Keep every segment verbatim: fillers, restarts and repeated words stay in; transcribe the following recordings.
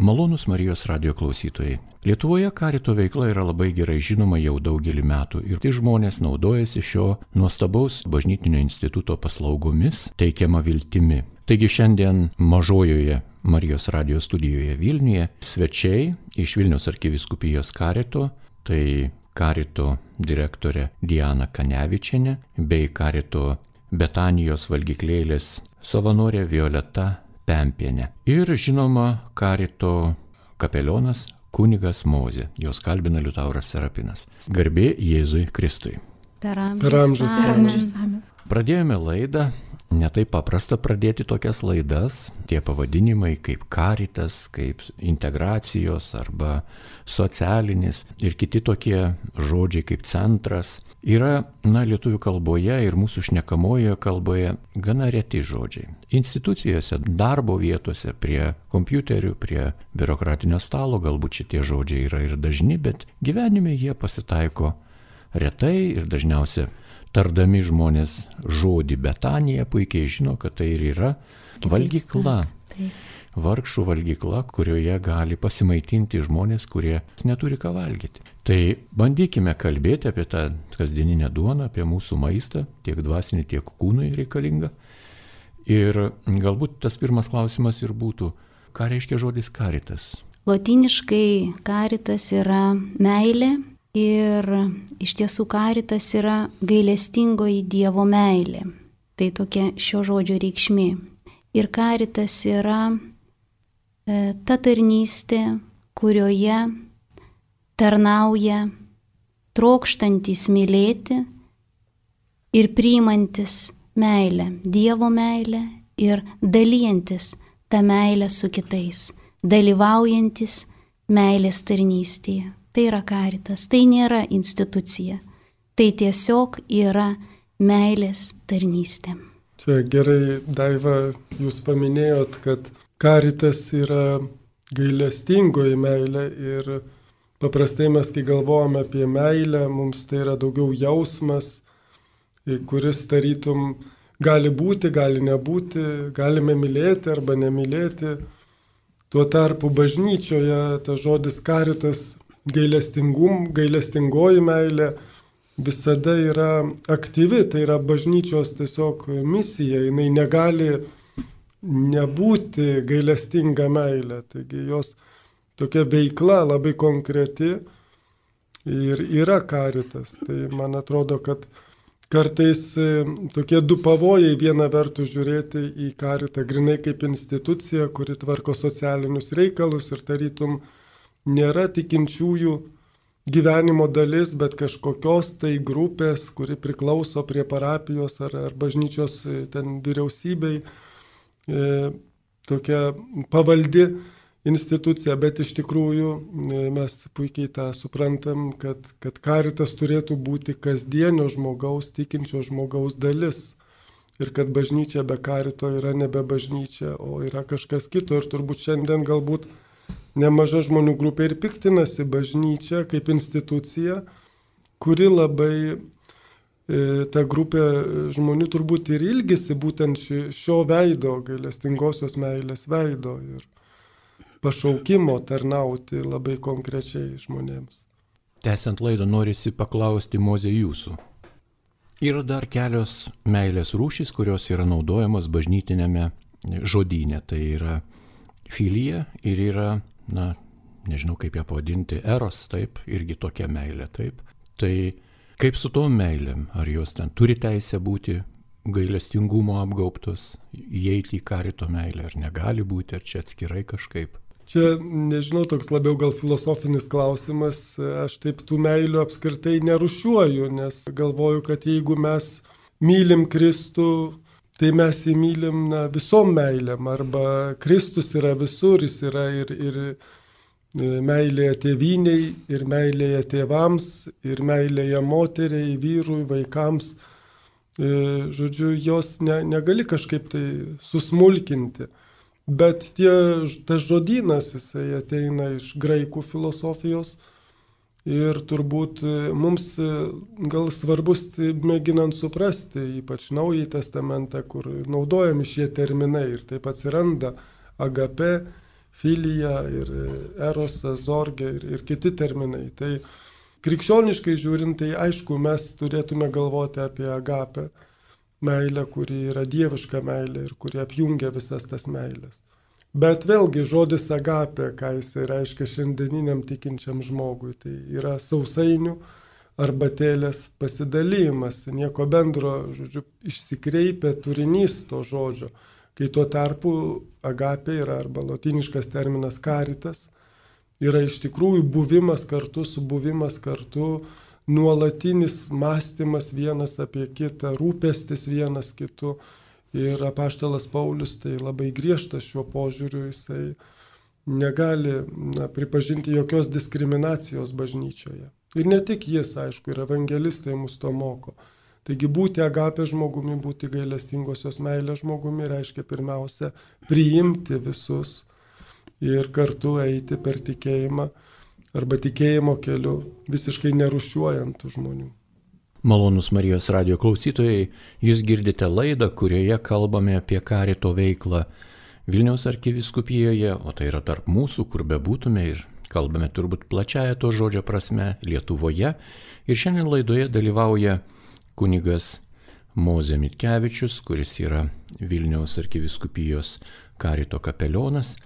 Malonūs Marijos radijo klausytojai. Lietuvoje karito veikla yra labai gerai žinoma jau daugelį metų ir tai žmonės naudojasi šio nuostabaus bažnytinio instituto paslaugomis teikiama viltimi. Taigi šiandien mažojoje Marijos radijo studijoje Vilniuje svečiai iš Vilniaus arkivyskupijos karito, tai karito direktorė Diana Kanevičienė bei karito Betanijos valgyklėlės savanorė Violeta Pempienė. Ir žinoma karito kapelionas kunigas Mozė. Jos kalbina Liutauras Serapinas. Garbė Jėzui Kristui. Per amžius. Pradėjome laidą. Netaip paprasta pradėti tokias laidas. Tie pavadinimai kaip karitas, kaip integracijos arba socialinis ir kiti tokie žodžiai kaip centras yra, na, lietuvių kalboje ir mūsų šnekamojoje kalboje gana reti žodžiai. Institucijose, darbo vietose, prie kompiuterių, prie biurokratinio stalo galbūt šitie žodžiai yra ir dažni, bet gyvenime jie pasitaiko retai ir dažniausiai tardami žmonės žodį Betanija puikiai žino, kad tai ir yra valgykla. Vargšų valgykla, kurioje gali pasimaitinti žmonės, kurie neturi ką valgyti. Tai bandykime kalbėti apie tą kasdieninę duoną, apie mūsų maistą, tiek dvasinį, tiek kūnui reikalingą. Ir galbūt tas pirmas klausimas ir būtų, ką reiškia žodis karitas? Lotyniškai karitas yra meilė. Ir iš tiesų karitas yra gailestingoji Dievo meilė. Tai tokia šio žodžio reikšmė. Ir karitas yra e, ta tarnystė, kurioje tarnauja trokštantis mylėti ir priimantis meilę, Dievo meilę ir dalijantis tą meilę su kitais, dalyvaujantis meilės tarnystėje. Tai yra karitas, tai nėra institucija, tai tiesiog yra meilės tarnystė. Čia gerai, Daiva, jūs paminėjot, kad karitas yra gailestingoji meilė ir paprastai mes, kai galvojame apie meilę, mums tai yra daugiau jausmas, kuris tarytum gali būti, gali nebūti, galime mylėti arba nemylėti. Tuo tarpu bažnyčioje tas žodis karitas, gailestingum, gailestingoji meilė visada yra aktyvi, tai yra bažnyčios tiesiog misija, jinai negali nebūti gailestinga meilė, taigi jos tokia veikla labai konkreti ir yra karitas. Tai man atrodo, kad kartais tokie du pavojai, viena vertus žiūrėti į karitą grinai kaip instituciją, kuri tvarko socialinius reikalus ir tarytum nėra tikinčiųjų gyvenimo dalis, bet kažkokios tai grupės, kuri priklauso prie parapijos ar, ar bažnyčios ten vyriausybei, e, tokia pavaldi institucija, bet iš tikrųjų e, mes puikiai tą suprantam, kad, kad karitas turėtų būti kasdienio žmogaus, tikinčio žmogaus dalis. Ir kad bažnyčia be karito yra nebe bažnyčia, o yra kažkas kito. Ir turbūt šiandien galbūt nemaža žmonių grupė ir piktinasi bažnyčia kaip institucija, kuri labai, e, ta grupė žmonių turbūt ir ilgisi būtent ši, šio veido, gailestingosios meilės veido ir pašaukimo tarnauti labai konkrečiai žmonėms. Tęsiant laidą norisi paklausti Mozė jūsų. Yra dar kelios meilės rūšys, kurios yra naudojamos bažnytinėme žodyne. Tai yra filija ir yra, na, nežinau kaip ją pavadinti, eros, taip, irgi tokia meilė, taip. Tai kaip su tom meilėm? Ar jos ten turi teisę būti gailestingumo apgaubtos, įeiti į karito meilę, ar negali būti, ar čia atskirai kažkaip? Čia, nežinau, toks labiau gal filosofinis klausimas. Aš taip tų meilių apskritai nerušiuoju, nes galvoju, kad jeigu mes mylim Kristų, tai mes jį mylim na, visom meilėm, arba Kristus yra visur, jis yra ir, ir meilėje tėvyniai, ir meilėje tėvams, ir meilėje moteriai, vyrui, vaikams. Žodžiu, jos ne, negali kažkaip tai susmulkinti. Bet tie, tas žodynas, jisai ateina iš graikų filosofijos ir turbūt mums gal svarbus mėginant suprasti, ypač Naująjį testamentą, kur naudojami šie terminai ir taip atsiranda agape, filija, ir erosas, zorgė ir, ir kiti terminai. Tai krikščioniškai žiūrint, tai aišku, mes turėtume galvoti apie agapę, meilę, kuri yra dieviška meilė ir kuri apjungia visas tas meilės. Bet vėlgi žodis agapė, ką jisai reiškia šiandieniniam tikinčiam žmogui, tai yra sausainių arbatėlės pasidalymas, nieko bendro, žodžiu, išsikreipia turinys to žodžio, kai tuo tarpu agapė yra arba lotyniškas terminas caritas, yra iš tikrųjų buvimas kartu, subuvimas kartu, nuolatinis mąstymas vienas apie kitą, rūpestis vienas kitu. Ir apaštalas Paulius tai labai griežtas šiuo požiūriu, jisai negali na, pripažinti jokios diskriminacijos bažnyčioje. Ir ne tik jis, aišku, ir evangelistai mus to moko. Taigi būti agapė žmogumi, būti gailestingosios meilės žmogumi reiškia pirmiausia priimti visus ir kartu eiti per tikėjimą arba tikėjimo keliu, visiškai nerūšiuojant tų žmonių. Malonūs Marijos radijo klausytojai, jūs girdite laidą, kurioje kalbame apie karito veiklą Vilniaus arkivyskupijoje, o tai yra tarp mūsų, kur bebūtume, ir kalbame turbūt plačiaja to žodžio prasme Lietuvoje. Ir šiandien laidoje dalyvauja kunigas Mozė Mitkevičius, kuris yra Vilniaus arkivyskupijos karito kapelionas,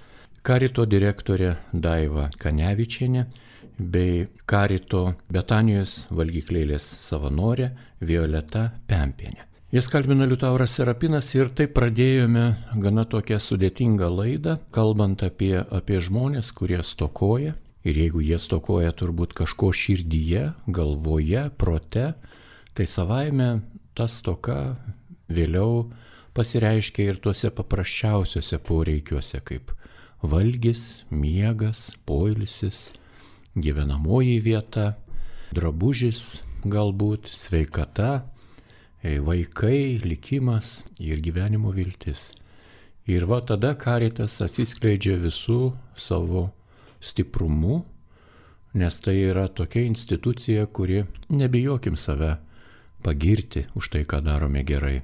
karito direktorė Daiva Kanevičienė bei karito Betanijos valgyklėlės savanorė Violeta Pempienė. Jas kalbina Liutauras Serapinas ir taip pradėjome gana tokią sudėtingą laidą, kalbant apie, apie žmonės, kurie stokoja. Ir jeigu jie stokoja turbūt kažko širdyje, galvoje, prote, tai savaime ta stoka vėliau pasireiškia ir tuose paprasčiausiuose poreikiuose, kaip valgis, miegas, poilsis, gyvenamoji vieta, drabužis galbūt, sveikata, vaikai, likimas ir gyvenimo viltis. Ir va tada karitas atsiskleidžia visų savo stiprumu, nes tai yra tokia institucija, kuri, nebijokim save pagirti už tai, ką darome gerai,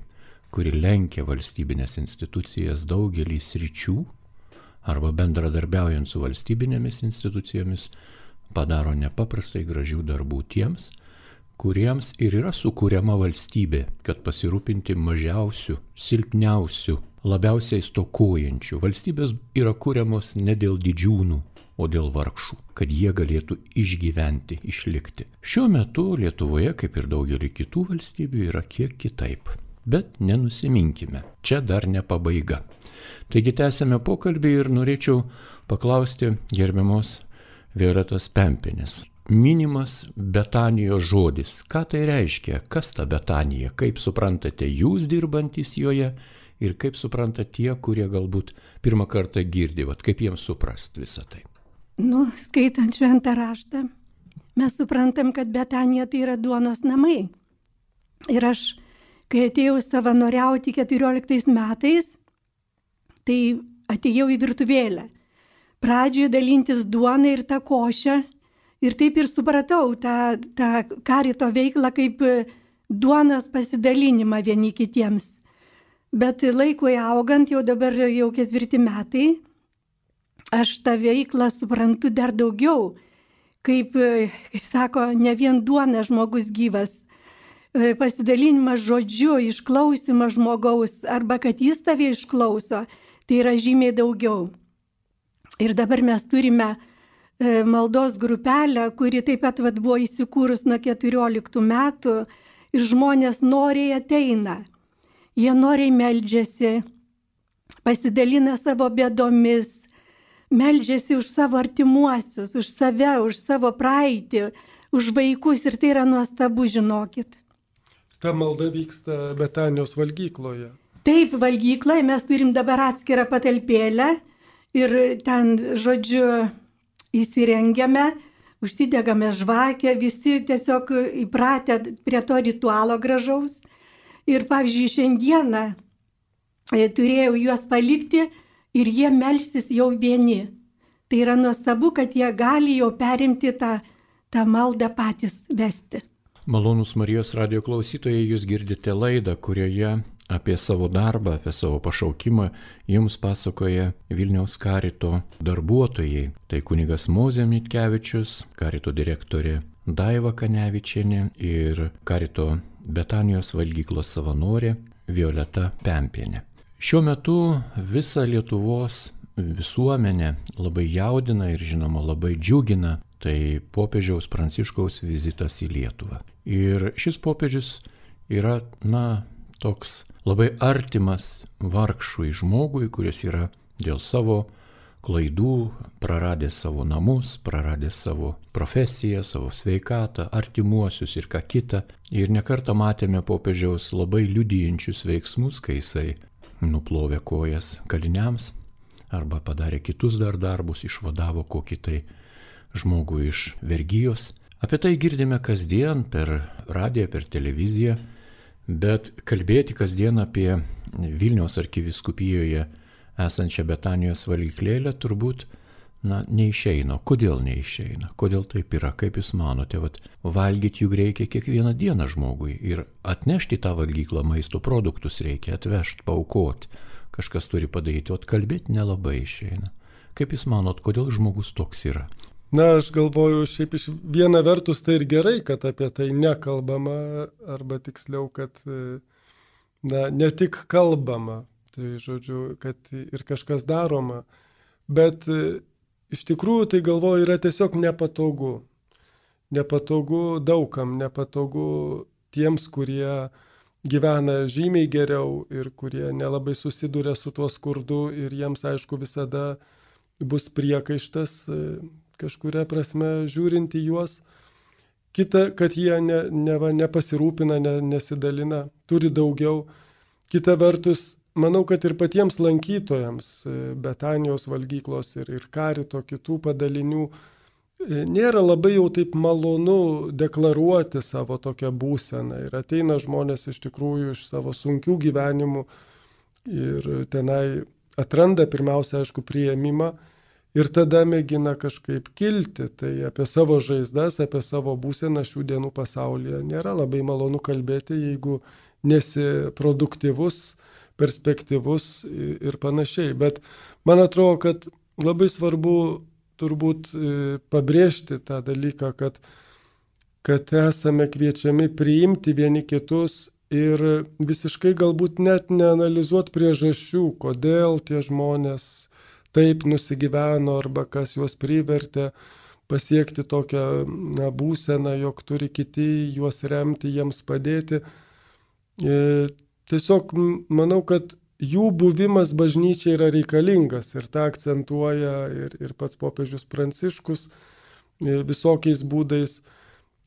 kuri lenkia valstybinės institucijas daugelį sričių, arba bendradarbiaujant su valstybinėmis institucijomis, padaro nepaprastai gražių darbų tiems, kuriems ir yra sukūriama valstybė, kad pasirūpinti mažiausių, silpniausių, labiausiai stokojančių. Valstybės yra kūriamos ne dėl didžiūnų, o dėl vargšų, kad jie galėtų išgyventi, išlikti. Šiuo metu Lietuvoje, kaip ir daugelį kitų valstybių, yra kiek kitaip. Bet nenusiminkime, čia dar ne pabaiga. Taigi tęsime pokalbį ir norėčiau paklausti gerbiamos Violetos Pempienės. Minimas Betanijos žodis. Ką tai reiškia? Kas ta Betanija? Kaip suprantate jūs dirbantys joje ir kaip supranta tie, kurie galbūt pirmą kartą girdi, vat, kaip jiems suprast visą tai? Nu, skaitant šventą raštą, mes suprantam, kad Betanija tai yra duonos namai. Ir aš, kai atėjau savanoriauti keturioliktais metais, tai atėjau į virtuvėlę. Pradžioje dalintis duoną ir tą košę. Ir taip ir supratau tą, tą karito veiklą kaip duonos pasidalinimą vieni kitiems. Bet laikui augant, jau dabar jau ketvirti metai, aš tą veiklą suprantu dar daugiau. Kaip, kaip sako, ne vien duona žmogus gyvas. Pasidalinimas žodžiu, išklausimas žmogaus, arba kad jis tave išklauso, tai yra žymiai daugiau. Ir dabar mes turime maldos grupelę, kuri taip pat vat, buvo įsikūrus nuo keturioliktų metų ir žmonės noriai ateina. Jie noriai meldžiasi, pasidalina savo bėdomis, meldžiasi už savo artimuosius, už save, už savo praeitį, už vaikus ir tai yra nuostabu, žinokit. Ta malda vyksta Betanijos valgykloje. Taip, valgykloje mes turim dabar atskirą patalpėlę ir ten, žodžiu, įsirengiame, užsidegame žvakę, visi tiesiog įpratę prie to ritualo gražaus. Ir pavyzdžiui, šiandieną turėjau juos palikti ir jie melsis jau vieni. Tai yra nuostabu, kad jie gali jau perimti tą, tą maldą patys vesti. Malonūs Marijos radijo klausytojai, jūs girdite laidą, kurioje apie savo darbą, apie savo pašaukimą jums pasakoja Vilniaus karito darbuotojai. Tai kunigas Mozė Mitkevičius, karito direktorė Daiva Kanevičienė ir karito Betanijos valgyklos savanorė Violeta Pempienė. Šiuo metu visą Lietuvos visuomenę labai jaudina ir žinoma labai džiugina tai popiežiaus Pranciškaus vizitas į Lietuvą. Ir šis popiežius yra, na, toks labai artimas vargšui žmogui, kuris yra dėl savo klaidų praradęs savo namus, praradęs savo profesiją, savo sveikatą, artimuosius ir ką kitą. Ir nekartą matėme popiežiaus labai liudijančius veiksmus, kai jisai nuplovė kojas kaliniams arba padarė kitus dar darbus, išvadavo kokį tai žmogų iš vergijos. Apie tai girdime kasdien per radiją, per televiziją, bet kalbėti kasdien apie Vilniaus arkivyskupijoje esančią Betanijos valgyklėlę turbūt, na, neišeina. Kodėl neišeina? Kodėl taip yra? Kaip jūs manote? Vat, valgyti juk reikia kiekvieną dieną žmogui ir atnešti tą valgyklą maisto produktus reikia, atvežti, paaukoti. Kažkas turi padaryti, o kalbėti nelabai išeina. Kaip jūs manot, kodėl žmogus toks yra? Na, aš galvoju, šiaip iš viena vertus tai ir gerai, kad apie tai nekalbama, arba tiksliau, kad na, ne tik kalbama, tai žodžiu, kad ir kažkas daroma, bet iš tikrųjų tai galvoju yra tiesiog nepatogu. Nepatogu daugam, nepatogu tiems, kurie gyvena žymiai geriau ir kurie nelabai susiduria su tuo skurdu ir jiems, aišku, visada bus priekaištas kažkuria prasme žiūrint į juos. Kita, kad jie ne, ne, nepasirūpina, ne, nesidalina, turi daugiau. Kita vertus, manau, kad ir patiems lankytojams Betanijos valgyklos ir, ir karito kitų padalinių nėra labai jau taip malonu deklaruoti savo tokią būseną. Ir ateina žmonės iš tikrųjų iš savo sunkių gyvenimų ir tenai atranda pirmiausia, aišku, priėmimą ir tada mėgina kažkaip kilti. Tai apie savo žaizdas, apie savo būseną šių dienų pasaulyje nėra labai malonu kalbėti, jeigu nesi produktyvus, perspektyvus ir panašiai. Bet man atrodo, kad labai svarbu turbūt pabrėžti tą dalyką, kad, kad esame kviečiami priimti vieni kitus ir visiškai galbūt net neanalizuoti priežasčių, kodėl tie žmonės taip nusigyveno arba kas juos privertė pasiekti tokią na, būseną, jog turi kiti juos remti, jiems padėti. E, tiesiog manau, kad jų buvimas bažnyčiai yra reikalingas ir tą akcentuoja ir, ir pats popiežius Pranciškus visokiais būdais.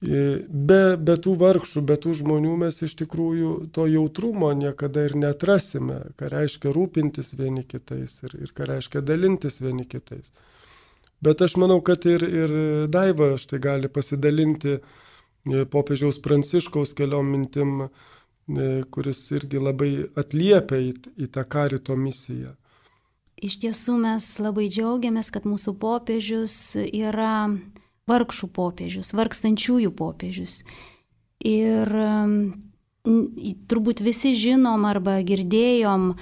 Be, be tų vargšų, be tų žmonių mes iš tikrųjų to jautrumo niekada ir neatrasime, ką reiškia rūpintis vieni kitais ir, ir ką reiškia dalintis vieni kitais. Bet aš manau, kad ir, ir Daiva štai gali pasidalinti popiežiaus Pranciškaus keliom mintim, kuris irgi labai atliepia į, į tą karito misiją. Iš tiesų mes labai džiaugiamės, kad mūsų popiežius yra vargšų popiežius, vargstančiųjų popiežius. Ir turbūt visi žinom arba girdėjom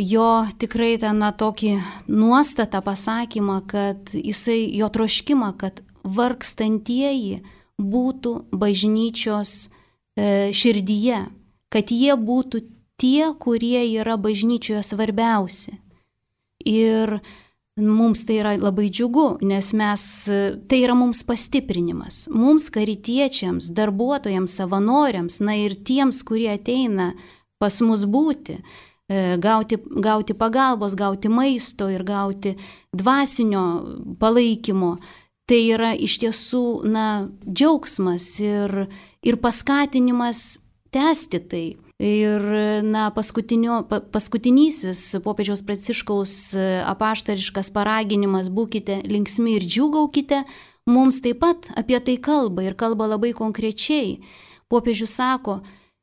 jo tikrai tą na, tokį nuostatą pasakymą, kad jisai, jo troškimą, kad vargstantieji būtų bažnyčios e, širdyje, kad jie būtų tie, kurie yra bažnyčioje svarbiausi. Ir mums tai yra labai džiugu, nes mes, tai yra mums pastiprinimas. Mums karitiečiams, darbuotojams, savanoriams, na ir tiems, kurie ateina pas mus būti, gauti, gauti pagalbos, gauti maisto ir gauti dvasinio palaikymo. Tai yra iš tiesų na, džiaugsmas ir, ir paskatinimas tęsti tai. Ir na, paskutinysis popiežiaus Pranciškaus apaštališkas paraginimas būkite linksmi ir džiūgaukite, mums taip pat apie tai kalba ir kalba labai konkrečiai. Popiežius sako,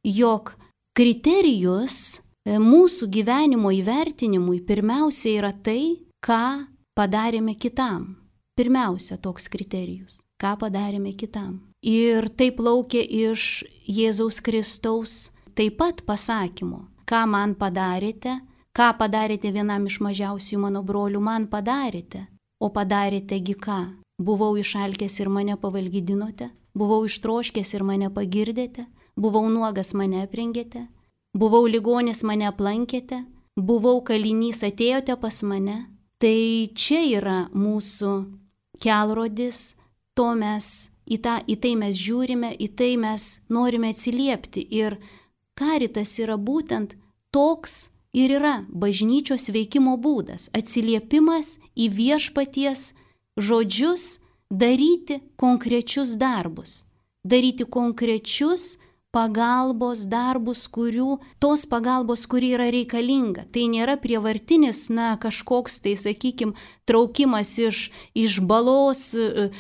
jog kriterijus mūsų gyvenimo įvertinimui pirmiausia yra tai, ką padarėme kitam. Pirmiausia toks kriterijus, ką padarėme kitam. Ir tai plaukia iš Jėzaus Kristaus taip pat pasakymo, ką man padarėte, ką padarėte vienam iš mažiausių mano brolių, man padarėte, o padarėtegi ką? Buvau išalkęs ir mane pavalgydinote, buvau ištroškęs ir mane pagirdėte, buvau nuogas mane aprengėte, buvau ligonis mane aplankėte, buvau kalinys atėjote pas mane. Tai čia yra mūsų kelrodis, to mes, į, tą, į tai mes žiūrime, į tai mes norime atsiliepti. Ir karitas yra būtent toks ir yra bažnyčios veikimo būdas, atsiliepimas į viešpaties žodžius, daryti konkrečius darbus, daryti konkrečius pagalbos darbus, kurių, tos pagalbos, kuri yra reikalinga. Tai nėra prievartinis, na, kažkoks, tai sakykime, traukimas iš, iš balos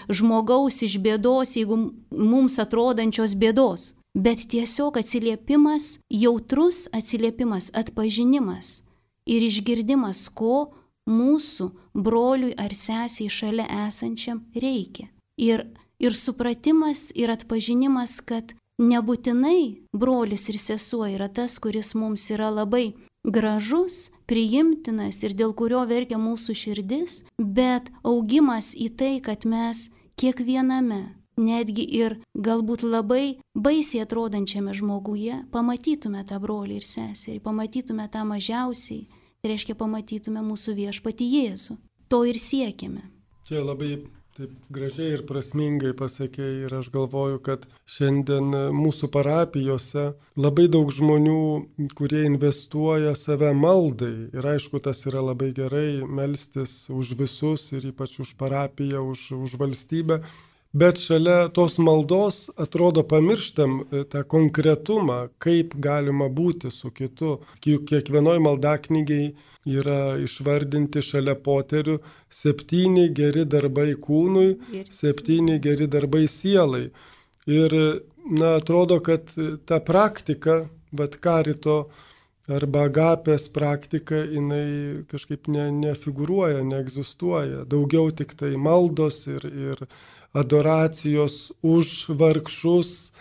žmogaus, iš bėdos, jeigu mums atrodančios bėdos, bet tiesiog atsiliepimas, jautrus atsiliepimas, atpažinimas ir išgirdimas, ko mūsų broliui ar sesiai šalia esančiam reikia. Ir, ir supratimas ir atpažinimas, kad nebūtinai brolis ir sesuo yra tas, kuris mums yra labai gražus, priimtinas ir dėl kurio verkia mūsų širdis, bet augimas į tai, kad mes kiekviename, netgi ir galbūt labai baisiai atrodančiame žmoguje, pamatytume tą brolį ir seserį, pamatytume tą mažiausiai, tai reiškia pamatytume mūsų viešpatį Jėzų. To ir siekiame. Čia labai taip gražiai ir prasmingai pasakėjai ir aš galvoju, kad šiandien mūsų parapijose labai daug žmonių, kurie investuoja save maldai. Ir aišku, tas yra labai gerai melstis už visus ir ypač už parapiją, už, už valstybę. Bet šalia tos maldos atrodo pamirštam tą konkretumą, kaip galima būti su kitu. Kiekvienoj maldaknygiai yra išvardinti šalia poterių septyni geri darbai kūnui, septyni geri darbai sielai. Ir na, atrodo, kad ta praktika, vat karito arba agapės praktika, jinai kažkaip ne, nefigūruoja, neegzistuoja. Daugiau tik tai maldos ir, ir adoracijos už vargšus,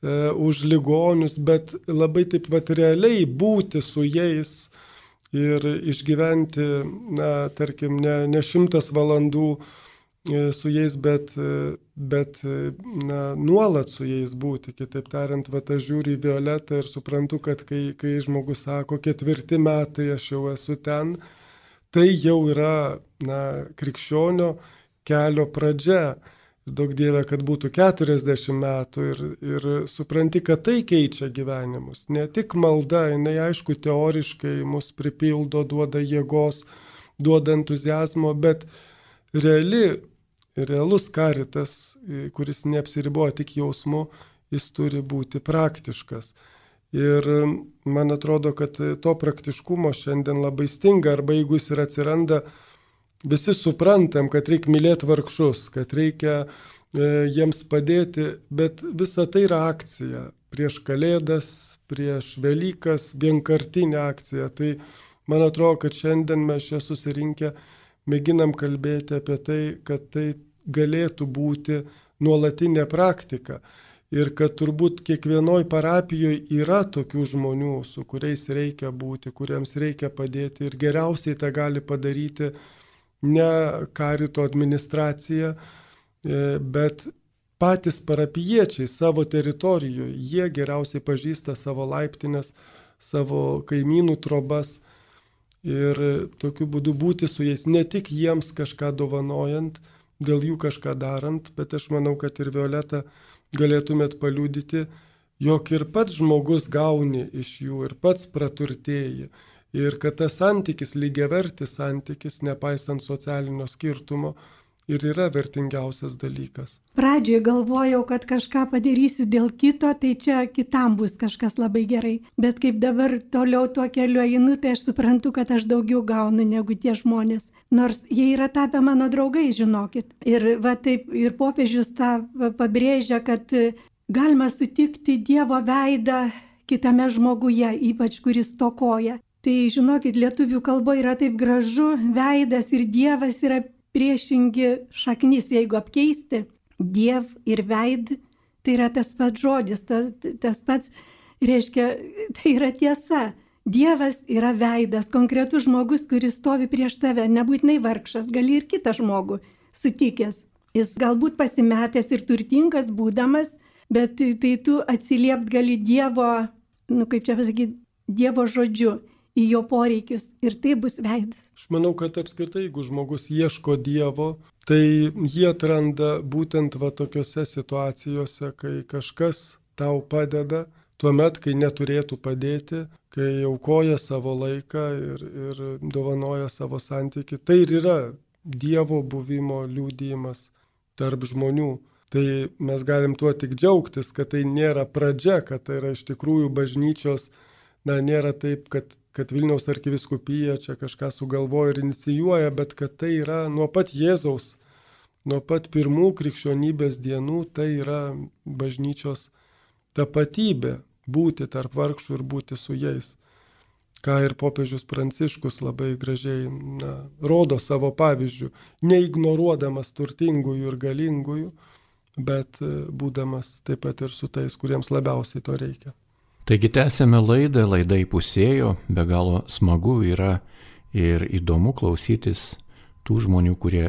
e, už ligonius, bet labai taip vat realiai būti su jais ir išgyventi, na, tarkim, ne, ne šimtas valandų e, su jais, bet, e, bet na, nuolat su jais būti. Kitaip tariant, vat aš žiūriu į Violetą ir suprantu, kad kai, kai žmogus sako, ketvirti metai aš jau esu ten, tai jau yra, na, krikščionio kelio pradžia. Daug Dieve, kad būtų keturiasdešimt metų ir, ir supranti, kad tai keičia gyvenimus. Ne tik malda, jinai aišku teoriškai mus pripildo, duoda jėgos, duoda entuzijazmo, bet reali, realus karitas, kuris neapsiriboja tik jausmu, jis turi būti praktiškas. Ir man atrodo, kad to praktiškumo šiandien labai stinga, arba jeigu jis ir atsiranda, visi suprantam, kad reikia mylėti vargšus, kad reikia e, jiems padėti, bet visa tai yra akcija. Prieš Kalėdas, prieš Velykas, vienkartinė akcija. Tai man atrodo, kad šiandien mes čia susirinkę mėginam kalbėti apie tai, kad tai galėtų būti nuolatinė praktika. Ir kad turbūt kiekvienoj parapijoje yra tokių žmonių, su kuriais reikia būti, kuriems reikia padėti. Ir geriausiai tą gali padaryti ne karito administracija, bet patys parapijiečiai savo teritorijoje. Jie geriausiai pažįsta savo laiptinės, savo kaimynų trobas ir tokiu būdu būti su jais, ne tik jiems kažką dovanojant, dėl jų kažką darant, bet aš manau, kad ir Violeta galėtumėt paliudyti, jog ir pats žmogus gauni iš jų, ir pats praturtėji. Ir kad tas santykis, lygiavertis santykis, nepaisant socialinio skirtumo, ir yra vertingiausias dalykas. Pradžioje galvojau, kad kažką padarysiu dėl kito, tai čia kitam bus kažkas labai gerai. Bet kaip dabar toliau tuo keliu einu, tai aš suprantu, kad aš daugiau gaunu negu tie žmonės. Nors jie yra tapę mano draugai, žinokit. Ir, va, taip, ir popiežius tą pabrėžia, kad galima sutikti Dievo veidą kitame žmoguje, ypač kuris stokoja. Tai žinokit, lietuvių kalboje yra taip gražu, veidas ir Dievas yra priešingi šaknis, jeigu apkeisti Diev ir veid, tai yra tas pats žodis, tas, tas pats, reiškia, tai yra tiesa. Dievas yra veidas, konkretus žmogus, kuris stovi prieš tave, nebūtinai vargšas, gali ir kitą žmogų sutikęs. Jis galbūt pasimetęs ir turtingas būdamas, bet tai tu atsiliept gali Dievo, nu kaip čia pasakyti, Dievo žodžiu į jo poreikius ir tai bus veidas. Aš manau, kad apskritai, jeigu žmogus ieško Dievo, tai jie atranda būtent va tokiose situacijose, kai kažkas tau padeda, tuomet, kai neturėtų padėti, kai aukoja savo laiką ir, ir dovanoja savo santykį. Tai ir yra Dievo buvimo liudijimas tarp žmonių. Tai mes galim tuo tik džiaugtis, kad tai nėra pradžia, kad tai yra iš tikrųjų bažnyčios, na, nėra taip, kad, kad Vilniaus arkivyskupija čia kažką sugalvoja ir inicijuoja, bet kad tai yra nuo pat Jėzaus, nuo pat pirmų krikščionybės dienų, tai yra bažnyčios tapatybė. Būti tarp vargšų ir būti su jais. Ką ir popiežius Pranciškus labai gražiai na, rodo savo pavyzdžių, neignoruodamas turtingųjų ir galingųjų, bet būdamas taip pat ir su tais, kuriems labiausiai to reikia. Taigi tęsėme laidą, laida įpusėjo, be galo smagu yra ir įdomu klausytis tų žmonių, kurie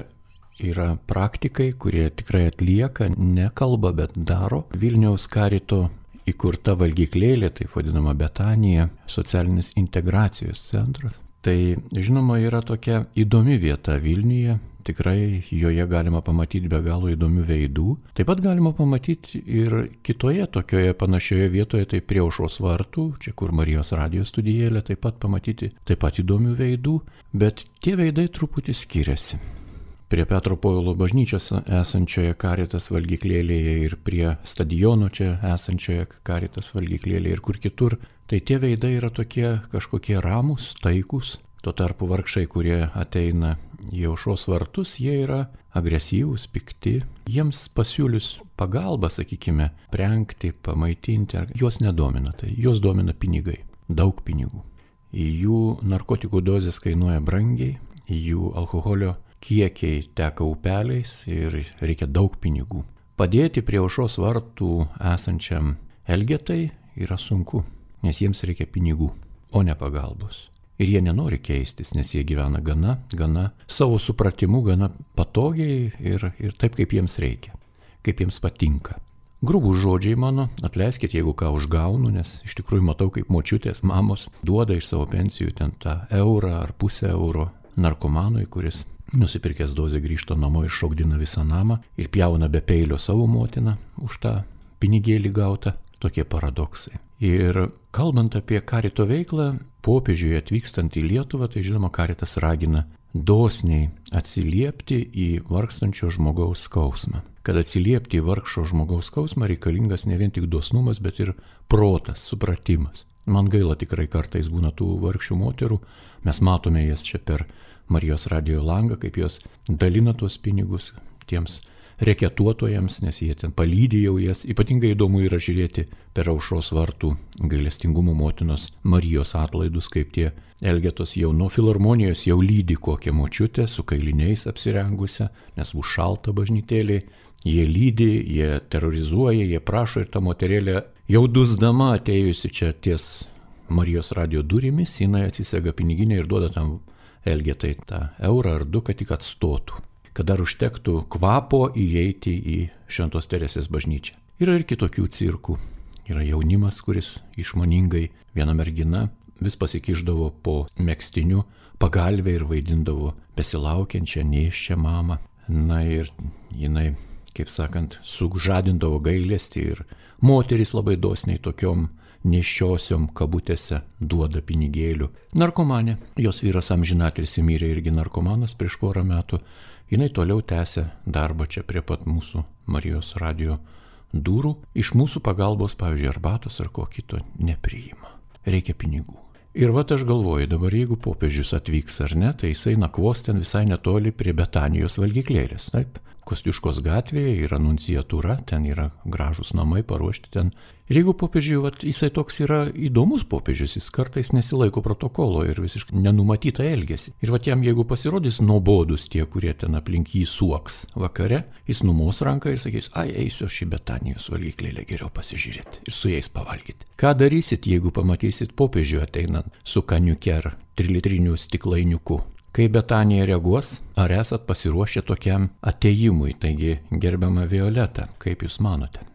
yra praktikai, kurie tikrai atlieka, nekalba, bet daro. Vilniaus karito įkurta valgyklėlė, taip vadinama Betanija, socialinis integracijos centras. Tai, žinoma, yra tokia įdomi vieta Vilniuje, tikrai joje galima pamatyti be galo įdomių veidų. Taip pat galima pamatyti ir kitoje tokioje panašioje vietoje, tai prie Aušros vartų, čia kur Marijos radijo studijėlė, taip pat pamatyti taip pat įdomių veidų, bet tie veidai truputį skiriasi. Prie Petro Povilo bažnyčios esančioje Caritas valgyklėlėje ir prie stadiono čia esančioje Caritas valgyklėlėje ir kur kitur, tai tie veidai yra tokie kažkokie ramūs, taikus. Tuo tarpu vargšai, kurie ateina į Aušros vartus, jie yra agresyvūs, pikti. Jiems pasiūlius pagalbą, sakykime, prengti, pamaitinti, juos nedomina, tai juos domina pinigai, daug pinigų. Jų narkotikų dozės kainuoja brangiai, jų alkoholio kiekiai teka upeliais ir reikia daug pinigų. Padėti prie Aušros vartų esančiam Elgetai yra sunku, nes jiems reikia pinigų, o ne pagalbos. Ir jie nenori keistis, nes jie gyvena gana, gana savo supratimu, gana patogiai ir, ir taip, kaip jiems reikia, kaip jiems patinka. Grubų žodžiai mano, atleiskit, jeigu ką užgaunu, nes iš tikrųjų matau, kaip močiutės, mamos duoda iš savo pensijų ten tą eurą ar pusę euro narkomanui, kuris nusipirkęs dozę grįžta namo ir šokdina visą namą ir pjauna be peilio savo motiną už tą pinigėlį gautą. Tokie paradoksai. Ir kalbant apie karito veiklą, popiežiui atvykstant į Lietuvą, tai žinoma, karitas ragina dosniai atsiliepti į vargstančio žmogaus skausmą. Kad atsiliepti į vargšo žmogaus skausmą reikalingas ne vien tik dosnumas, bet ir protas, supratimas. Man gaila tikrai kartais būna tų vargšių moterų, mes matome jas čia per Marijos radijo langą, kaip jos dalina tuos pinigus tiems reketuotojams, nes jie ten palydi jau jas. Ypatingai įdomu yra žiūrėti per Aušros vartų gailestingumo motinos Marijos atlaidus, kaip tie Elgetos jau nuo filharmonijos jau lydi kokią močiutę su kailiniais apsirengusią, nes bus šalta bažnytėlė. Jie lydi, jie terrorizuoja, jie prašo ir ta moterėlė jau dusdama atėjusi čia ties Marijos radijo durimis, jinai atsisega piniginę ir duoda tam Elgetai tą eurą ar du, kad tik atstotų, kad dar užtektų kvapo įeiti į Šventos Teresės bažnyčią. Yra ir kitokių cirkų. Yra jaunimas, kuris išmoningai, viena mergina vis pasikišdavo po megztiniu pagalvę ir vaidindavo besilaukiančią, nėščią mamą. Na ir jinai, kaip sakant, sužadindavo gailestį ir moterys labai dosniai tokiom neščiosiom kabutėse duoda pinigėlių. Narkomanė, jos vyras amžinatilsį mirė irgi narkomanas prieš porą metų, jinai toliau tęsia darbą čia prie pat mūsų Marijos radijo durų. Iš mūsų pagalbos, pavyzdžiui, arbatos ar ko kito nepriima. Reikia pinigų. Ir vat aš galvoju, dabar jeigu popiežius atvyks ar ne, tai jisai nakvos ten visai netoli prie Betanijos valgyklėlės. Taip? Kosciuškos gatvėje yra nunciatūra, ten yra gražūs namai paruošti ten. Ir jeigu popiežiui, vat, jisai toks yra įdomus popiežius, jis kartais nesilaiko protokolo ir visiškai nenumatytą elgesį. Ir vat jam, jeigu pasirodys nuobodus tie, kurie ten aplink jį suoks vakare, jis numos ranką ir sakys, ai, eisiu aš į Betanijos valgyklėlę geriau pasižiūrėti ir su jais pavalgyti. Ką darysit, jeigu pamatysit popiežių ateinant su kaniuke ar trilitriniu stiklainiuku? Kaip Betanija reaguos, ar esat pasiruošę tokiam atėjimui? Taigi, gerbiama Violeta, kaip jūs manote?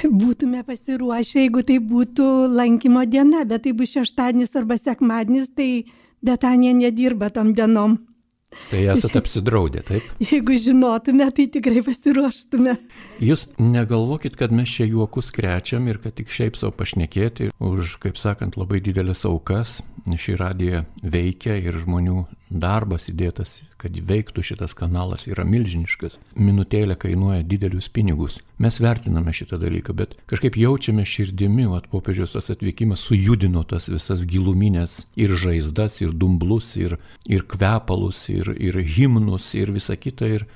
Būtume pasiruošę, jeigu tai būtų lankymo diena, bet tai bus šeštadienis arba sekmadienis, tai Betanija nedirba tom dienom. Tai esat apsidraudę, taip? Jeigu žinotume, tai tikrai pasiruoštume. Jūs negalvokit, kad mes čia juokus krečiam ir kad tik šiaip savo pašnekėti už, kaip sakant, labai didelės aukas. Šį radiją veikia ir žmonių darbas įdėtas, kad veiktų šitas kanalas, yra milžiniškas. Minutėlė kainuoja didelius pinigus. Mes vertiname šitą dalyką, bet kažkaip jaučiame širdimi, o popiežiaus tas atvykimas sujudino tas visas giluminės ir žaizdas, ir dumblus, ir, ir kvepalus, ir, ir himnus, ir visa kita. Ir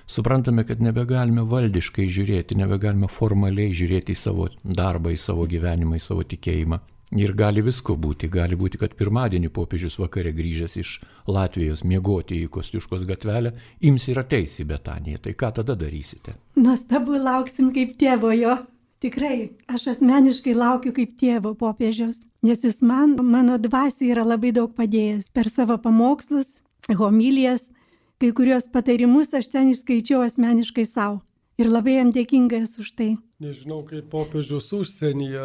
suprantame, kad nebegalime valdiškai žiūrėti, nebegalime formaliai žiūrėti į savo darbą, į savo gyvenimą, į savo tikėjimą. Ir gali visko būti. Gali būti, kad pirmadienį popiežius vakare grįžęs iš Latvijos miegoti į Kosciuškos gatvelę, ims ir ateis į Betaniją. Tai ką tada darysite? Nuostabu, lauksim kaip tėvo jo. Tikrai, aš asmeniškai laukiu kaip tėvo popiežiaus, nes jis man, mano dvasiai yra labai daug padėjęs. Per savo pamokslus, homilijas, kai kurios patarimus aš ten išskaičiau asmeniškai savo. Ir labai jam dėkingas už tai. Nežinau, kaip popiežius užsienyje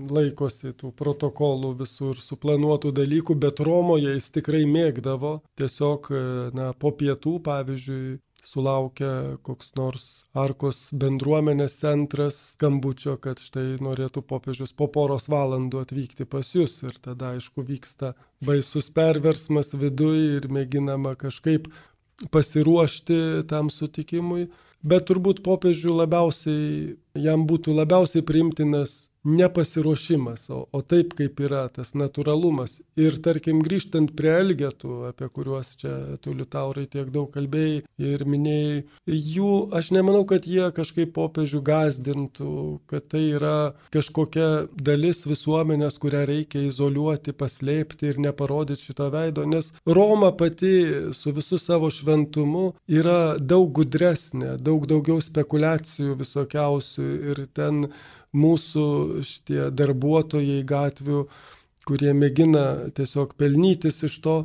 laikosi tų protokolų visų ir suplanuotų dalykų, bet Romoje jis tikrai mėgdavo. Tiesiog, na, po pietų, pavyzdžiui, sulaukia koks nors Arkos bendruomenės centras skambučio, kad štai norėtų popiežius po poros valandų atvykti pas jūs. Ir tada, aišku, vyksta baisus perversmas viduje ir mėginama kažkaip pasiruošti tam sutikimui. Bet turbūt popiežių labiausiai, jam būtų labiausiai priimtinas nepasiruošimas, o, o taip kaip yra tas natūralumas. Ir tarkim grįžtant prie elgetų, apie kuriuos čia tu Liutaurai tiek daug kalbėjai ir minėjai, jų aš nemanau, kad jie kažkaip popiežių gąsdintų, kad tai yra kažkokia dalis visuomenės, kurią reikia izoliuoti, paslėpti ir neparodyti šito veido, nes Roma pati su visu savo šventumu yra daug gudresnė, daug daugiau spekulacijų visokiausių ir ten mūsų šitie darbuotojai gatvių, kurie mėgina tiesiog pelnytis iš to,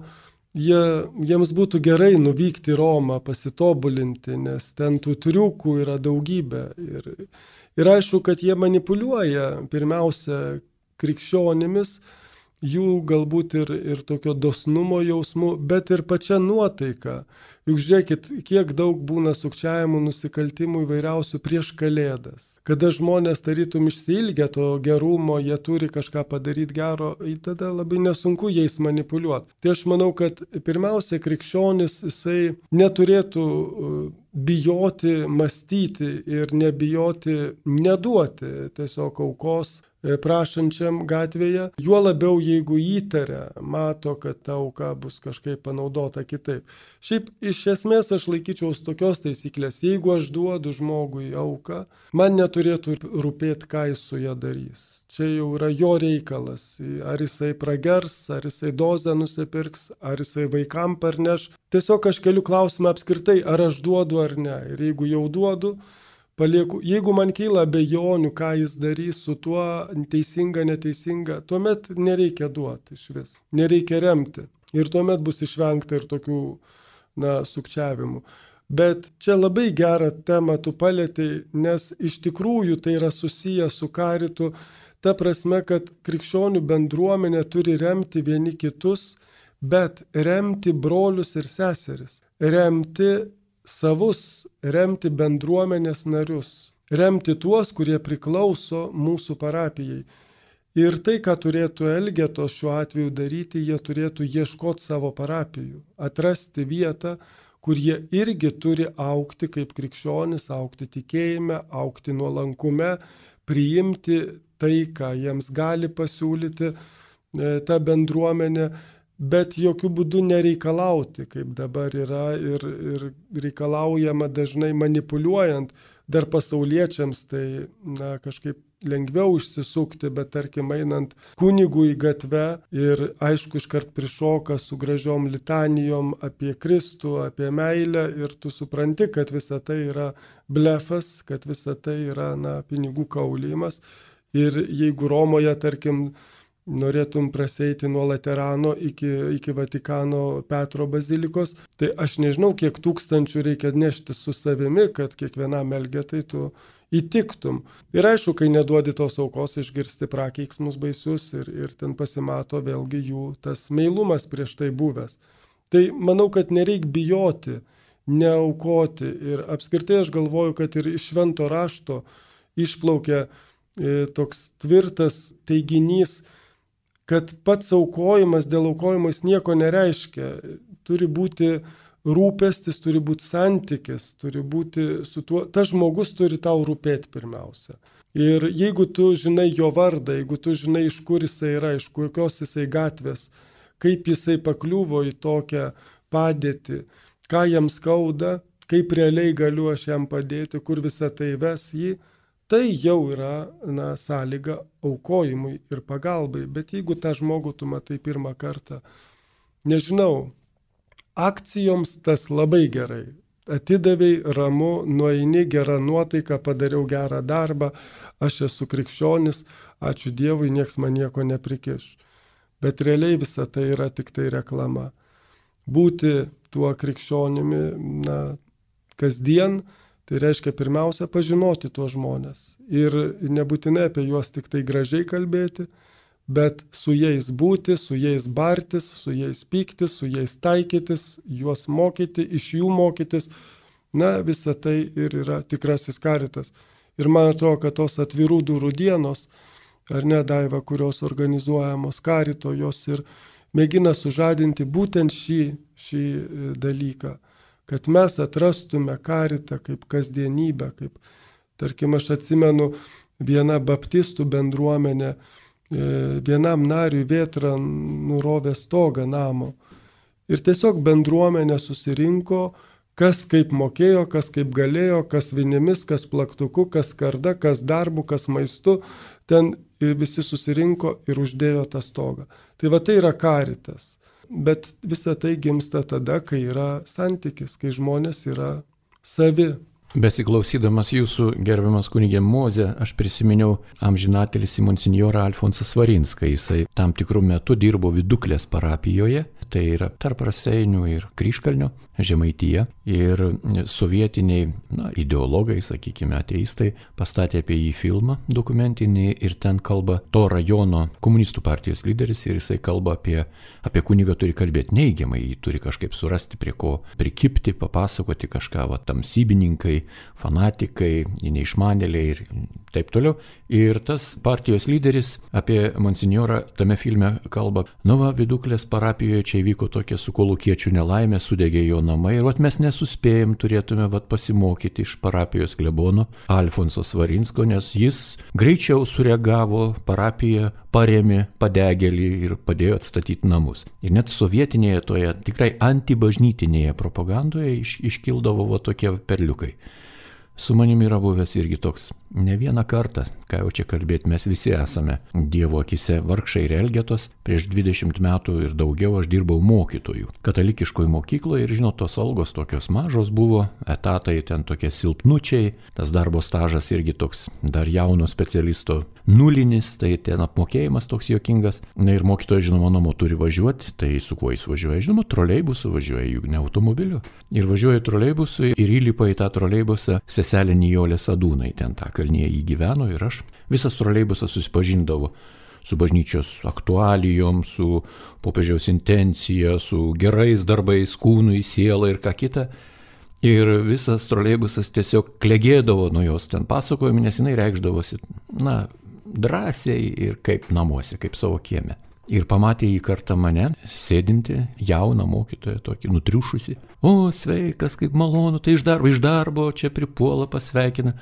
jie, jiems būtų gerai nuvykti į Romą, pasitobulinti, nes ten tų triukų yra daugybė. Ir, ir aišku, kad jie manipuliuoja pirmiausia krikščionimis, jų galbūt ir, ir tokio dosnumo jausmu, bet ir pačia nuotaika. Juk žiūrėkit, kiek daug būna sukčiavimų, nusikaltimų įvairiausių prieš Kalėdas. Kada žmonės tarytum išsiilgia to gerumo, jie turi kažką padaryti gero, tada labai nesunku jais manipuliuoti. Tai aš manau, kad pirmiausia, krikščionis jisai neturėtų bijoti mąstyti ir nebijoti neduoti tiesiog aukos prašančiam gatvėje, juo labiau jeigu įtaria, mato, kad ta auka bus kažkaip panaudota kitaip. Šiaip iš esmės aš laikyčiaus tokios taisyklės, jeigu aš duodu žmogui auką, man neturėtų rūpėti, ką jis su ją darys. Čia jau yra jo reikalas, ar jisai pragers, ar jisai dozę nusipirks, ar jisai vaikam parneš. Tiesiog aš keliu klausimą apskritai, ar aš duodu ar ne. Ir jeigu jau duodu, palieku, jeigu man kyla abejonių, ką jis darys su tuo, teisinga, neteisinga, tuomet nereikia duoti iš vis, nereikia remti. Ir tuomet bus išvengta ir tokių, na, sukčiavimų. Bet čia labai gerą temą tu palietei, nes iš tikrųjų tai yra susiję su karitu, ta prasme, kad krikščionių bendruomenė turi remti vieni kitus, bet remti brolius ir seseris, remti savus, remti bendruomenės narius, remti tuos, kurie priklauso mūsų parapijai. Ir tai, ką turėtų elgetos šiuo atveju daryti, jie turėtų ieškoti savo parapijų, atrasti vietą, kur jie irgi turi augti kaip krikščionis, augti tikėjime, augti nuolankume, priimti tai, ką jiems gali pasiūlyti ta bendruomenė. bet jokių būdų nereikalauti, kaip dabar yra ir, ir reikalaujama dažnai manipuliuojant. Dar pasauliečiams tai na, kažkaip lengviau išsisukti, bet tarkim einant kunigų į gatvę ir aišku iškart prišoka su gražiom litanijom apie Kristų, apie meilę ir tu supranti, kad visa tai yra blefas, kad visa tai yra na, pinigų kaulimas. Ir jeigu Romoje, tarkim, norėtum praseiti nuo Laterano iki, iki Vatikano Petro bazilikos, tai aš nežinau, kiek tūkstančių reikia nešti su savimi, kad kiekvienam elgetai tu įtiktum. Ir aišku, kai neduodi tos aukos, išgirsti prakeiksmus baisius ir, ir ten pasimato vėlgi jų tas meilumas prieš tai buvęs. Tai manau, kad nereik bijoti, neaukoti. Ir apskritai aš galvoju, kad ir iš švento rašto išplaukia e, toks tvirtas teiginys, kad pats aukojimas dėl aukojimo jis nieko nereiškia. Turi būti rūpestis, turi būti santykis, turi būti su tuo, tas žmogus turi tau rūpėti pirmiausia. Ir jeigu tu žinai jo vardą, jeigu tu žinai, iš kur jisai yra, iš kokios jisai gatvės, kaip jisai pakliuvo į tokią padėtį, ką jam skauda, kaip realiai galiu aš jam padėti, kur visą tai ves jį, tai jau yra na, sąlyga aukojimui ir pagalbai. Bet jeigu tą žmogų tu matai pirmą kartą, nežinau, akcijoms tas labai gerai. Atidavai, ramu, nueini, gera nuotaika, padariau gerą darbą, aš esu krikščionis, ačiū Dievui, nieks man nieko neprikiš. Bet realiai visa tai yra tik tai reklama. Būti tuo krikščionimi na, kasdien, tai reiškia pirmiausia pažinoti tuos žmonės ir nebūtinai apie juos tik tai gražiai kalbėti, bet su jais būti, su jais bartis, su jais pyktis, su jais taikytis, juos mokyti, iš jų mokytis. Na, visa tai ir yra tikrasis karitas. Ir man atrodo, kad tos atvirų durų dienos, ar ne, Daiva, kurios organizuojamos karito, jos ir mėgina sužadinti būtent šį, šį dalyką. Kad mes atrastume karitą kaip kasdienybę, kaip, tarkim, aš atsimenu vieną baptistų bendruomenę, vienam nariui vėtra nurovė stogą namo. Ir tiesiog bendruomenė susirinko, kas kaip mokėjo, kas kaip galėjo, kas vinimis, kas plaktuku, kas karda, kas darbu, kas maistu, ten visi susirinko ir uždėjo tą stogą. Tai va tai yra karitas. Bet visa tai gimsta tada, kai yra santykis, kai žmonės yra savi. Besiklausydamas jūsų, gerbiamas kunigė Mozė, aš prisiminiau amžinatelį monsinjorą Alfonsą Svarinską. Jisai tam tikrų metų dirbo Viduklės parapijoje, tai yra tarp Raseinių ir Kryžkalnio, Žemaitija. Ir sovietiniai na, ideologai, sakykime, ateistai, pastatė apie jį filmą dokumentinį ir ten kalba to rajono komunistų partijos lyderis ir jisai kalba apie, apie kunigą turi kalbėti neigiamai, jį turi kažkaip surasti prie ko prikipti, papasakoti kažką, va, tamsybininkai, fanatikai, neišmanėliai ir taip toliau. Ir tas partijos lyderis apie monsinjorą tame filme kalba, nu va, Viduklės parapijoje čia įvyko tokia su kolūkiečių nelaimė, sudegė jo namai ir vat mes nesuspėjom, turėtume vat pasimokyti iš parapijos klebono Alfonso Svarinsko, nes jis greičiau sureagavo, parapija parėmė padegėlį ir padėjo atstatyti namus. Ir net sovietinėje toje tikrai antibažnytinėje propagandoje iš, iškildavo va tokie perliukai. Su manimi yra buvęs irgi toks ne vieną kartą, ką jau čia kalbėti, mes visi esame Dievo akise vargšai ir elgetos. Prieš dvidešimt metų ir daugiau aš dirbau mokytojų katalikiškoje mokykloje ir žinot, tos algos tokios mažos buvo, etatai ten tokie silpnučiai, tas darbo stažas irgi toks dar jauno specialisto nulinis, tai ten apmokėjimas toks juokingas. Na ir mokytojas, žinoma, namo turi važiuoti, tai su kuo jis važiuoja? Žinoma, troleibusu važiuoja, juk ne automobiliu. Ir važiuoja troleibusu ir įlipa į tą troleibusą seselė Nijolė Sadūnai, ten tą kalnyje jį gyveno ir aš. Visas troleibusas susipažindavo su bažnyčios aktualijom, su popiežiaus intencija, su gerais darbais, kūnui, sielai ir ką kita. Ir visas troleibusas tiesiog klegėdavo nuo jos ten pasakojimų, nes jinai reikšdavosi, na, drąsiai ir kaip namuose, kaip savo kieme. Ir pamatė jį kartą mane, sėdinti, jauną mokytoją, tokį nutriušusi. O, sveikas, kaip malonu, tai iš darbo, iš darbo, čia pripuola, pasveikina.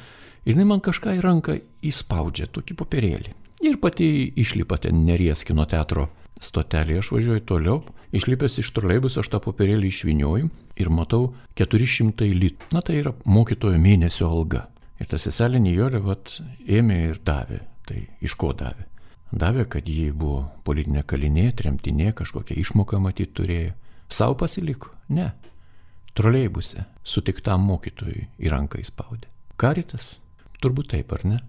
Ir jinai man kažką į ranką įspaudžia, tokį popierėlį. Ir pati išlipa ten Neries kino teatro stotelėje, aš važiuoju toliau, išlipęs iš troleibuso aš tą popierėlį išvinioju ir matau keturi šimtai litų. Na tai yra mokytojo mėnesio alga. Ir ta seselė Nijolė vat ėmė ir davė. Tai iš ko davė? Davė, kad ji buvo politinė kalinė, tremtinė, kažkokią išmoką matyt turėjo. Sau pasiliko? Ne. Troleibuse sutiktam mokytojui į ranką įspaudė. Karitas? Turbūt taip, ar ne?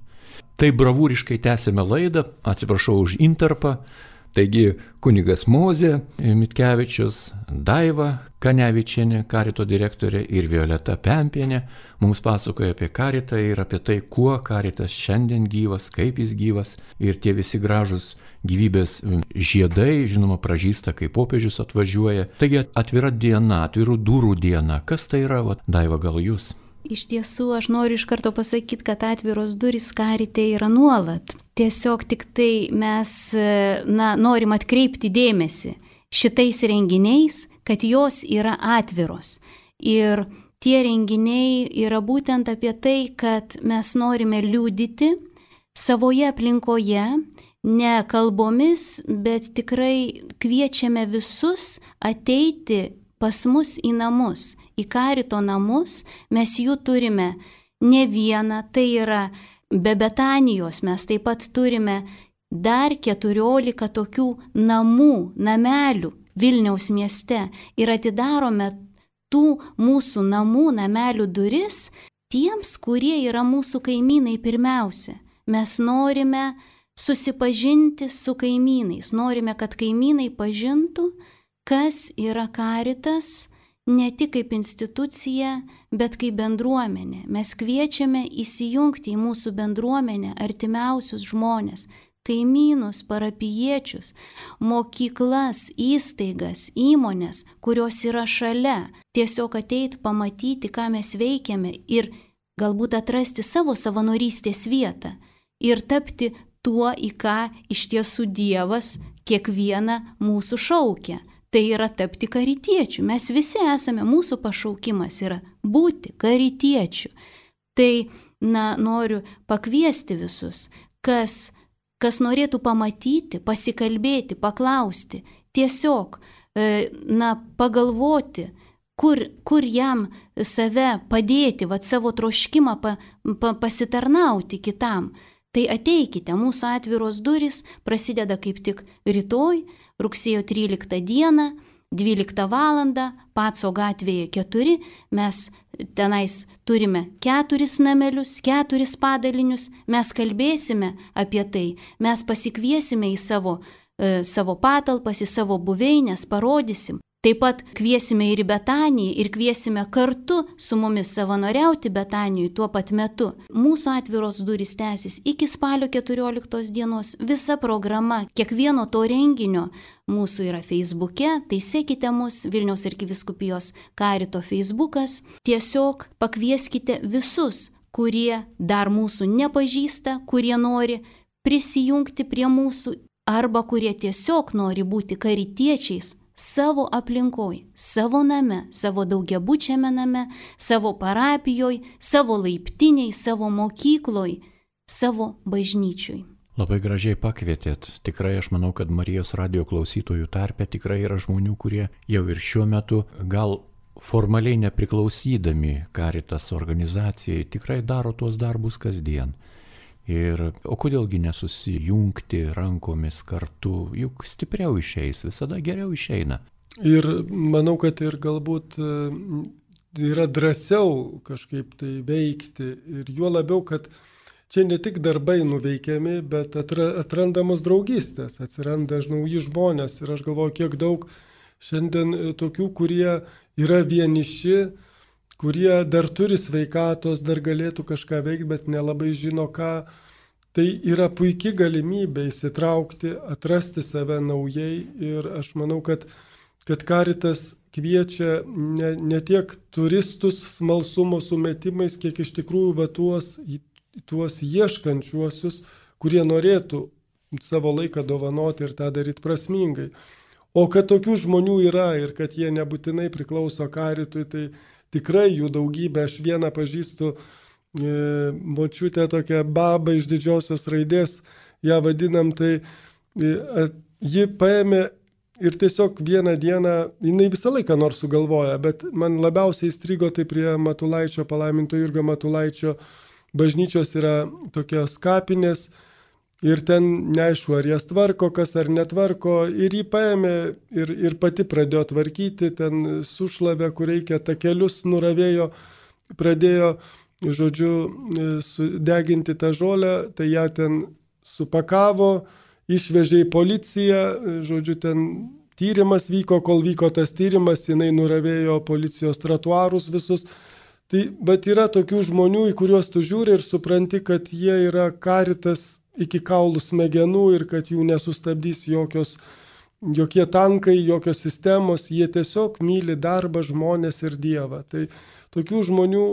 Tai bravūriškai tęsėme laidą, atsiprašau už intarpą. Taigi kunigas Mozė Mitkevičius, Daiva Kanevičienė, karito direktorė, ir Violeta Pempienė mums pasakoja apie karitą ir apie tai, kuo karitas šiandien gyvas, kaip jis gyvas, ir tie visi gražus gyvybės žiedai, žinoma, pražysta, kai popiežius atvažiuoja. Taigi atvira diena, atvirų durų diena. Kas tai yra, va, Daiva, gal jūs? Iš tiesų, aš noriu iš karto pasakyti, kad atviros durys karite yra nuolat. Tiesiog tik tai mes na, norim atkreipti dėmesį šitais renginiais, kad jos yra atviros. Ir tie renginiai yra būtent apie tai, kad mes norime liudyti savoje aplinkoje, ne kalbomis, bet tikrai kviečiame visus ateiti pas mus į namus, į karito namus. Mes jų turime ne vieną, tai yra be Betanijos, mes taip pat turime dar keturiolika tokių namų, namelių Vilniaus mieste ir atidarome tų mūsų namų, namelių duris tiems, kurie yra mūsų kaimynai pirmiausia. Mes norime susipažinti su kaimynais, norime, kad kaimynai pažintų, kas yra karitas, ne tik kaip institucija, bet kaip bendruomenė. Mes kviečiame įsijungti į mūsų bendruomenę artimiausius žmonės, kaimynus, parapijiečius, mokyklas, įstaigas, įmonės, kurios yra šalia. Tiesiog ateiti, pamatyti, ką mes veikiame ir galbūt atrasti savo savanorystės vietą ir tapti tuo, į ką iš tiesų Dievas kiekvieną mūsų šaukia. Tai yra tapti karitiečių. Mes visi esame, mūsų pašaukimas yra būti karitiečių. Tai, na, noriu pakviesti visus, kas, kas norėtų pamatyti, pasikalbėti, paklausti, tiesiog, na, pagalvoti, kur, kur jam save padėti, vat savo troškimą pa, pa, pasitarnauti kitam. Tai ateikite, mūsų atviros durys prasideda kaip tik rytoj, rugsėjo tryliktą dieną, dvyliktą valandą, Paco gatvėje keturi. Mes tenais turime keturis namelius, keturis padalinius, mes kalbėsime apie tai, mes pasikviesime į savo, e, savo patalpas, į savo buveinės, parodysim. Taip pat kviesime ir į Betaniją ir kviesime kartu su mumis savanoriauti Betanijui tuo pat metu. Mūsų atviros durys tęsis iki spalio keturioliktos dienos. Visa programa, kiekvieno to renginio mūsų yra Facebook'e, tai sekite mus, Vilniaus arkivyskupijos karito Facebookas. Tiesiog pakvieskite visus, kurie dar mūsų nepažįsta, kurie nori prisijungti prie mūsų arba kurie tiesiog nori būti karitiečiais savo aplinkoj, savo name, savo daugiabučiame name, savo parapijoj, savo laiptiniai, savo mokykloj, savo bažnyčioj. Labai gražiai pakvietėt. Tikrai aš manau, kad Marijos radijo klausytojų tarpe tikrai yra žmonių, kurie jau ir šiuo metu gal formaliai nepriklausydami Caritas organizacijai tikrai daro tuos darbus kasdien. Ir, o kodėlgi nesusijungti rankomis kartu, juk stipriau išeis, visada geriau išeina. Ir manau, kad ir galbūt yra drąsiau kažkaip tai veikti. Ir juo labiau, kad čia ne tik darbai nuveikiami, bet atrandamos draugystės, atsiranda nauji žmonės. Ir aš galvoju, kiek daug šiandien tokių, kurie yra vieniši, kurie dar turi sveikatos, dar galėtų kažką veikti, bet nelabai žino ką. Tai yra puikia galimybė įsitraukti, atrasti save naujai ir aš manau, kad, kad Caritas kviečia ne, ne tiek turistus smalsumo sumetimais, kiek iš tikrųjų va tuos, tuos ieškančiuosius, kurie norėtų savo laiką dovanoti ir tą daryti prasmingai. O kad tokių žmonių yra ir kad jie nebūtinai priklauso Caritui, tai tikrai jų daugybė. Aš vieną pažįstu e, močiutę, tokią babą iš didžiosios raidės, ją vadinam, tai e, ji paėmė ir tiesiog vieną dieną, jinai visą laiką nors sugalvoja, bet man labiausiai įstrigo tai prie Matulaičio, palaiminto Jurgio Matulaičio bažnyčios yra tokios kapinės ir ten neaišku, ar jas tvarko, kas ar netvarko, ir jį paėmė ir, ir pati pradėjo tvarkyti, ten sušlavė, kur reikia, takelius nuravėjo, pradėjo, žodžiu, sudeginti tą žolę, tai ją ten supakavo, išvežė į policiją, žodžiu, ten tyrimas vyko, kol vyko tas tyrimas, jinai nuravėjo policijos tratuarus visus. Tai, bet yra tokių žmonių, į kuriuos tu žiūri ir supranti, kad jie yra Caritas iki kaulų smegenų ir kad jų nesustabdys jokios, jokie tankai, jokios sistemos, jie tiesiog myli darbą, žmonės ir Dievą. Tai tokių žmonių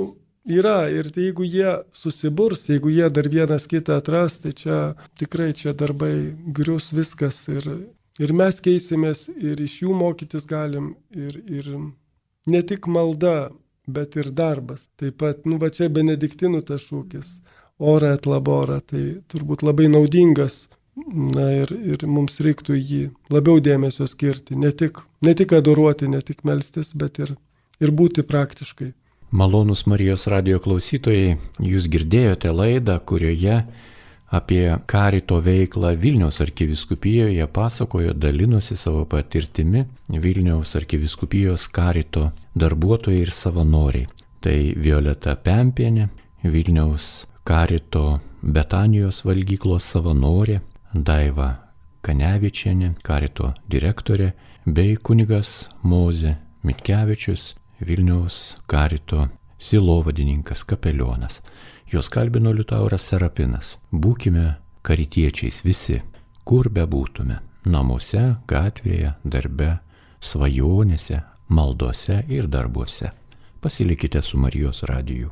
yra ir tai jeigu jie susiburs, jeigu jie dar vienas kitą atras, tai čia tikrai čia darbai grius viskas ir, ir mes keisimės ir iš jų mokytis galim ir, ir ne tik malda, bet ir darbas. Taip pat, nu va čia benediktinų tas šūkis, ora et labora, tai turbūt labai naudingas, na ir, ir mums reiktų jį labiau dėmesio skirti, ne tik, ne tik adoruoti, ne tik melstis, bet ir, ir būti praktiškai. Malonūs Marijos radijo klausytojai, jūs girdėjote laidą, kurioje apie Carito veiklą Vilniaus arkivyskupijoje pasakojo, dalinosi savo patirtimi Vilniaus arkivyskupijos Carito darbuotojai ir savanoriai. Tai Violeta Pempienė, Vilniaus Carito Betanijos valgyklos savanorė, Daiva Kanevičienė, Carito direktorė, bei kunigas Mozė Mitkevičius, Vilniaus Carito sielovadininkas, kapelionas. Jos kalbino Liutauras Serapinas. Būkime karitiečiais visi, kur bebūtume. Namuose, gatvėje, darbe, svajonėse, maldose ir darbuose. Pasilikite su Marijos radiju.